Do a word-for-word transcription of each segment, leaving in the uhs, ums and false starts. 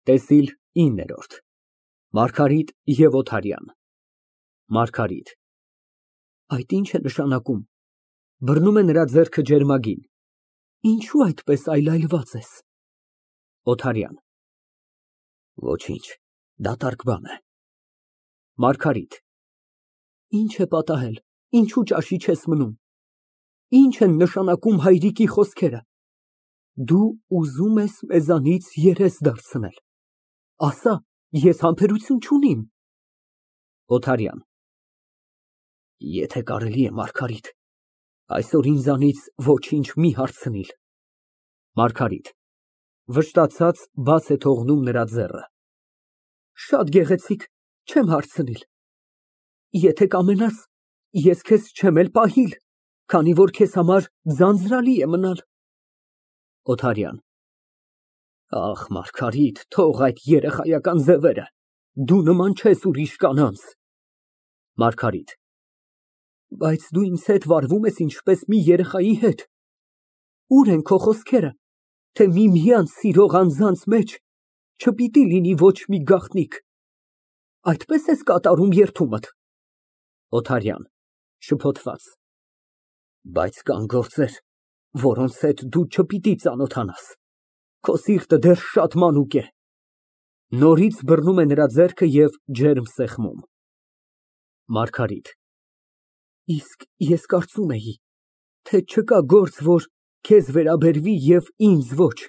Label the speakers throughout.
Speaker 1: ՏԵՍԻԼ ինը ՄԱՐԳԱՐԻՏ և ՕԹԱՐՅԱՆ ՄԱՐԳԱՐԻՏ ֊ Այդ ի՞նչ է նշանակում։ (Բռնում է նրա ձեռքը ջերմագին) Ինչո՞ւ այդպես այլայլված ես։ ՕԹԱՐՅԱՆ ֊ Ոչինչ, դատարկ բան է։ ՄԱՐԳԱՐԻՏ ֊ Ի՞նչ է պատահել, ինչու ճաշի չես մնում։ Ի՞նչ են նշանակում հայրիկի խոսքերը։ Դու ուզում ես մեզանից երես դարձնել, ասա, ես համբերություն չունիմ։ ՕԹԱՐՅԱՆ ֊ Եթե կարելի է, Մարգարիտ, այսօր ինձանից ոչինչ մի հարցնիլ։ ՄԱՐԳԱՐԻՏ ֊ (Վշտացած, բաց է թողնում նրա ձեռքը) Շատ գեղեցիկ, չեմ հարցնիլ։ Եթե կամենաս, ես քեզ չեմ էլ պահիլ, քանի որ քեզ համար ձանձրալի է մնալ։ ՕԹԱՐՅԱՆ ֊ Ախ, Մարգարիտ, թող այդ երեխայական ձևերը, դու նման չես ուրիշ կանանց։ ՄԱՐԳԱՐԻՏ ֊ Բայց դու ինձ հետ վարվում ես ինչպես մի երեխայի հետ։ Ո՞ւր են քո խոսքերը, թե միմյանց սիրող անձանց մեջ չպիտի լինի ոչ մի գաղտնիք։ Այդպե՞ս ես կատարում երդումդ։ ՕԹԱՐՅԱՆ ֊ (Շփոթված) Բայց կան գործեր, որոնց հետ դու չպիտի ծանոթանաս, քո սիրտը դեռ շատ մանուկ է։ (Նորից բռնում է նրա ձեռքը և ջերմ սեղմում)։ ՄԱՐԳԱՐԻՏ ֊ Իսկ ես կարծում էի, թե չկա գործ, որ քեզ վերաբերվի և ինձ ոչ։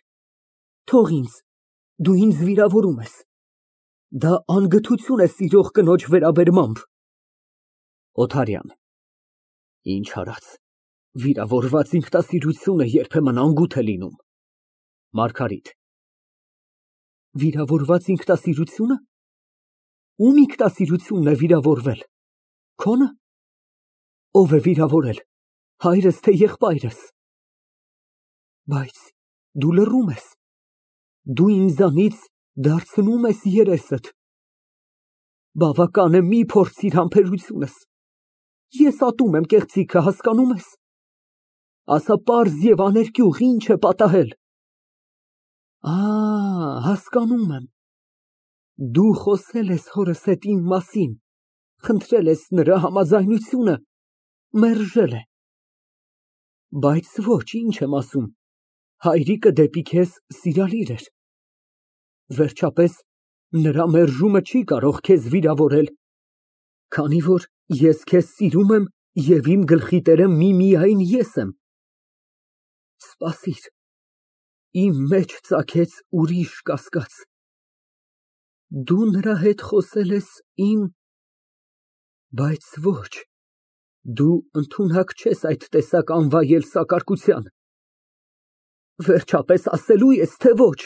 Speaker 1: Թող ինձ, դու ինձ վիրավորում ես։ Դա անգթություն է սիրող կնոջ վերաբերմամբ։ ՕԹԱՐՅԱՆ ֊ Ինչ արած, վիրավորված ինքնասիրությունը երբեմն անգութ է լինում։ ՄԱՐԳԱՐԻՏ ֊ Վիրավորված ինքնասիրությո՞ւնը։ Ո՞ւմ ինքնասիրությունն է վիրավորվել, քոնը։ Ո՞վ է վիրավորել, հայրս, թե եղբայրս։ Բայց դու լռում ես, դու ինձանից դարձնու՞մ ես երեսդ։ Բավական է, մի փորձիր համբերությունս, ես ատում եմ կեղծիքը, հասկանո՞ւմ ես։ Ասա պարզ և աներկյուղ, ինչ է պատահել։ Ա, հասկանում եմ, դու խոսել ես հորս հետ իմ մասին, խնդրել ես նրա համաձայնությունը, մերժել է։ Բայց ոչ, ինչ եմ ասում, հայրիկը դեպի քեզ սիրալիր էր։ Վերջապես, նրա մերժումը չի կարող քեզ վիրավորել, քանի որ ես քեզ սիրում եմ և իմ գլխի տերը միմիայն ես եմ։ Սպասիր, իմ մեջ ծագեց ուրիշ կասկած։ Դու նրա հետ խոսել ես իմ… Բայց ոչ, դու ընդունակ չես այդ տեսակ անվայել սակարկության։ Վերջապես ասելո՞ւ ես, թե ոչ։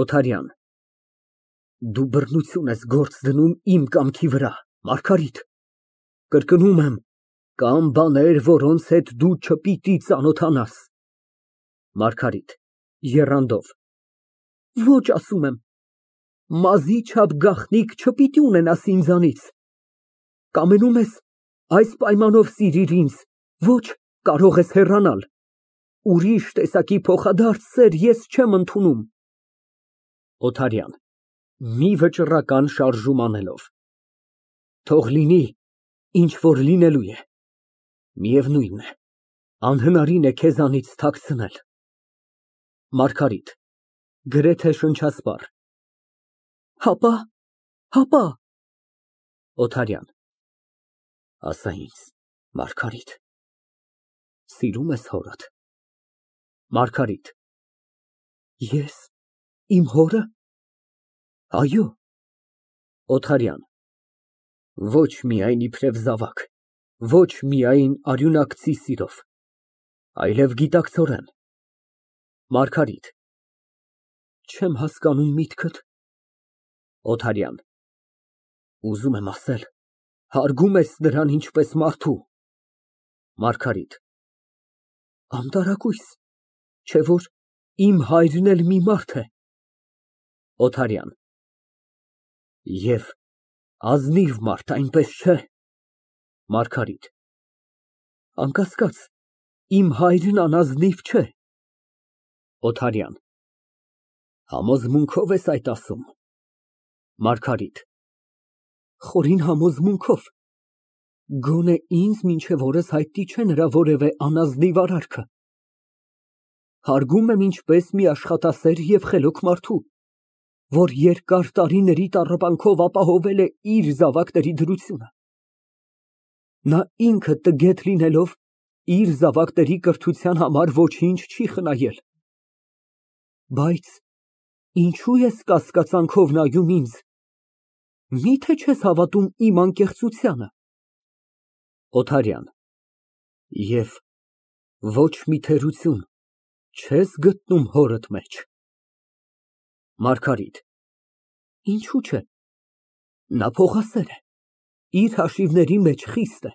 Speaker 1: ՕԹԱՐՅԱՆ ֊ Դու բռնություն ես գործ դնում իմ կամքի վրա, Մարգարիտ։ Կրկնում եմ, կան բաներ, որոնց հետ դու չպիտի ծանոթանաս։ ՄԱՐԳԱՐԻՏ ֊ (Եռանդով) Ոչ, ասում եմ, մազի չափ գաղտնիք չպիտի ունենաս ինձանից։ Կամենում ես, այս պայմանով սիրիր ինձ, ոչ, կարող ես հեռանալ։ Ուրիշ տեսակի փոխադարձ սեր ես չեմ ընդունում։ ՕԹԱՐՅԱՆ ֊ (Մի վճռական շարժում անելով) Թող լինի, ինչ որ լինելու է։ Միևնույն է, անհնարին է քեզանից թաքցնել։ ՄԱՐԳԱՐԻՏ ֊ (Գրեթե շնչասպառ) Հապա, հապա… ՕԹԱՐՅԱՆ ֊ Ասա ինձ, Մարգարիտ, սիրո՞ւմ ես հորդ։ ՄԱՐԳԱՐԻՏ ֊ Ես… իմ հո՞րը։ Այո։ ՕԹԱՐՅԱՆ ֊ Ոչ միայն իբրև զավակ, ոչ միայն արյունակցի սիրով, այլև գիտակցորեն։ ՄԱՐԳԱՐԻՏ ֊ Չեմ հասկանում միտքդ։ ՕԹԱՐՅԱՆ ֊ Ուզում եմ ասել, հարգում ես նրան ինչպես մարդու։ ՄԱՐԳԱՐԻՏ ֊ Անտարակույս, չէ՞ որ իմ հայրն էլ մի մարդ է։ ՕԹԱՐՅԱՆ ֊ Եվ ազնիվ մարդ, այնպես չէ։ ՄԱՐԳԱՐԻՏ ֊ Անկասկած, իմ հայրն անազնիվ չէ։ ՕԹԱՐՅԱՆ ֊ Համոզմունքո՞վ ես այդ ասում։ ՄԱՐԳԱՐԻՏ ֊ Խորին համոզմունքով։ Գոնե ինձ մինչև օրս հայտնի չէ նրա որևէ անազնիվ արարքը։ Հարգում եմ ինչպես մի աշխատասեր և խելոք մարդու, որ երկար տարիների տառապանքով ապահովել է իր զավակների դրությունը։ Նա ինքը տգետ լինելով, իր զավակների կրթության համար ոչինչ չի խնայել։ Բայց ինչո՞ւ ես կասկածանքով նայում ինձ, մի՞թե չես հավատում իմ անկեղծությանը։ ՕԹԱՐՅԱՆ ֊ Եվ ոչ մի թերություն չես գտնում հորդ մեջ։ ՄԱՐԳԱՐԻՏ ֊ Ինչո՞ւ չէ, նա փողասեր է, իր հաշիվների մեջ խիստ է,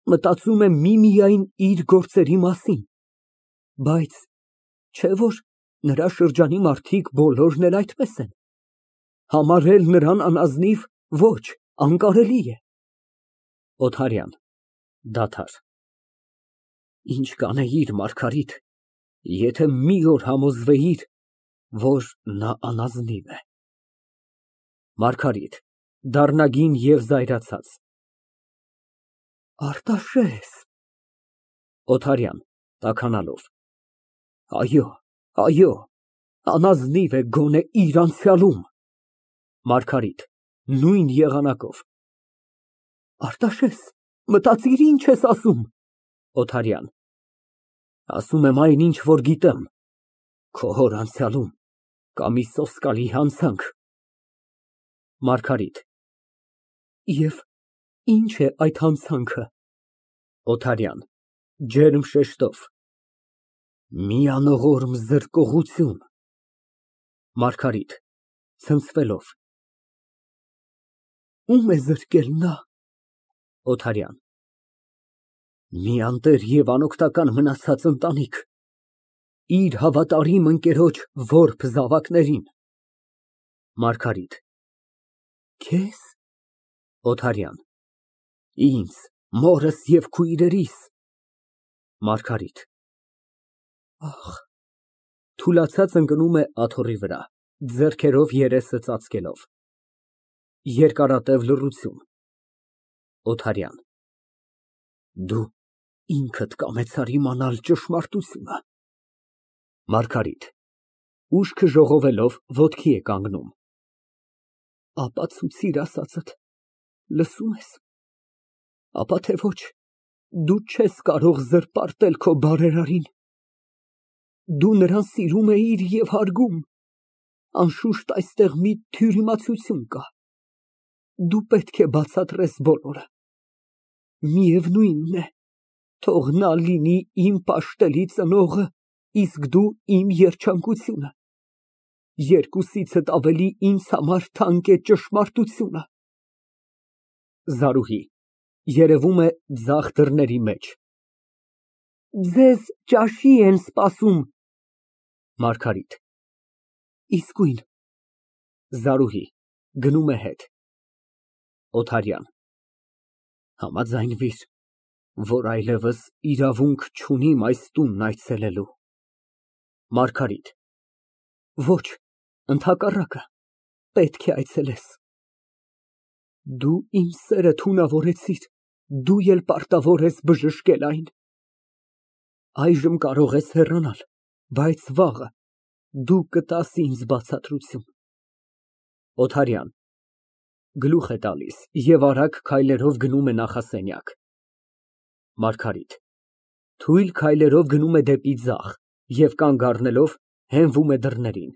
Speaker 1: մտածում է միմիայն իր գործերի մասին, բայց չէ՞ որ նրա շրջանի մարդիկ բոլորն էլ այդպես են, համարել նրան անազնիվ, ոչ, անկարելի է։ ՕԹԱՐՅԱՆ ֊ (Դադար) Ինչ կանեիր, Մարգարիտ, եթե մի օր համոզվեիր, որ նա անազնիվ է։ ՄԱՐԳԱՐԻՏ ֊ (Դառնագին և զայրացած) Արտաշես։ ՕԹԱՐՅԱՆ ֊ (Տաքանալով) Այո, այո, անազնիվ է գոնե իր անցյալում։ ՄԱՐԳԱՐԻՏ ֊ (Նույն եղանակով) Արտաշես, մտածիր ինչ ես ասում։ ՕԹԱՐՅԱՆ ֊ Ասում եմ այն, ինչ որ գիտեմ, քո հոր անցյալում կա մի սոսկալի հանցանք։ ՄԱՐԳԱՐԻՏ ֊ Եվ ի՞նչ է այդ հանցանքը։ ՕԹԱՐՅԱՆ ֊ (Ջերմ շեշտով) Մի անողորմ զրկողություն։ ՄԱՐԳԱՐԻՏ ֊ (Ցնցվելով) Ո՞ւմ է զրկել նա։ ՕԹԱՐՅԱՆ ֊ Մի անտեր և անօգնական մնացած ընտանիք, իր հավատարիմ ընկերոջ որբ զավակներին։ ՄԱՐԳԱՐԻՏ ֊ Քե՞զ։ ՕԹԱՐՅԱՆ ֊ Ինձ, մորս և քույրերիս։ ՄԱՐԳԱՐԻՏ ֊ Ախ։ (Թուլացած ընկնում է աթոռի վրա, ձեռքերով երեսը ծածկելով։ Երկարատև լռություն)։ ՕԹԱՐՅԱՆ ֊ Դու ինքդ կամեցար իմանալ ճշմարտությունը։ ՄԱՐԳԱՐԻՏ ֊ (Ուշքը ժողովելով, ոտքի է կանգնում) Ապացուցիր ասածդ, լսո՞ւմ ես, ապա թե ոչ, դու չես կարող զրպարտել քո բարերարին։ Դու նրան սիրում էիր և հարգում, անշուշտ այստեղ մի թյուրիմացություն կա, դու պետք է բացատրես բոլորը։ Միևնույնն է, թող նա լինի իմ պաշտելի ծնողը, իսկ դու իմ երջանկությունը, երկուսիցդ ավելի ինձ համար թանկ է ճշմարտությունը։ ԶԱՐՈՒՀԻ ֊ (Երևում է ձախ դռների մեջ) Ձեզ ճաշի են սպասում։ ՄԱՐԳԱՐԻՏ ֊ Իսկույն։ ԶԱՐՈՒՀԻ ֊ (Գնում է հետ)։ ՕԹԱՐՅԱՆ ֊ Համաձայնվիր, որ այլևս իրավունք չունիմ այս տունն այցելելու։ ՄԱՐԳԱՐԻՏ ֊ Ոչ, ընդհակառակը, պետք է այցելես։ Դու իմ սերը թունավորեցիր, դու էլ պարտավոր ես բժշկել այն։ Այժմ կարող ես հեռանալ, բայց վաղը դու կտաս ինձ բացատրություն։ ՕԹԱՐՅԱՆ ֊ (Գլուխ է տալիս և արագ քայլերով գնում է նախասենյակ)։ ՄԱՐԳԱՐԻՏ ֊ (Թույլ քայլերով գնում է դեպի ձախ և կանգ առնելով, հենվում է դռներին)։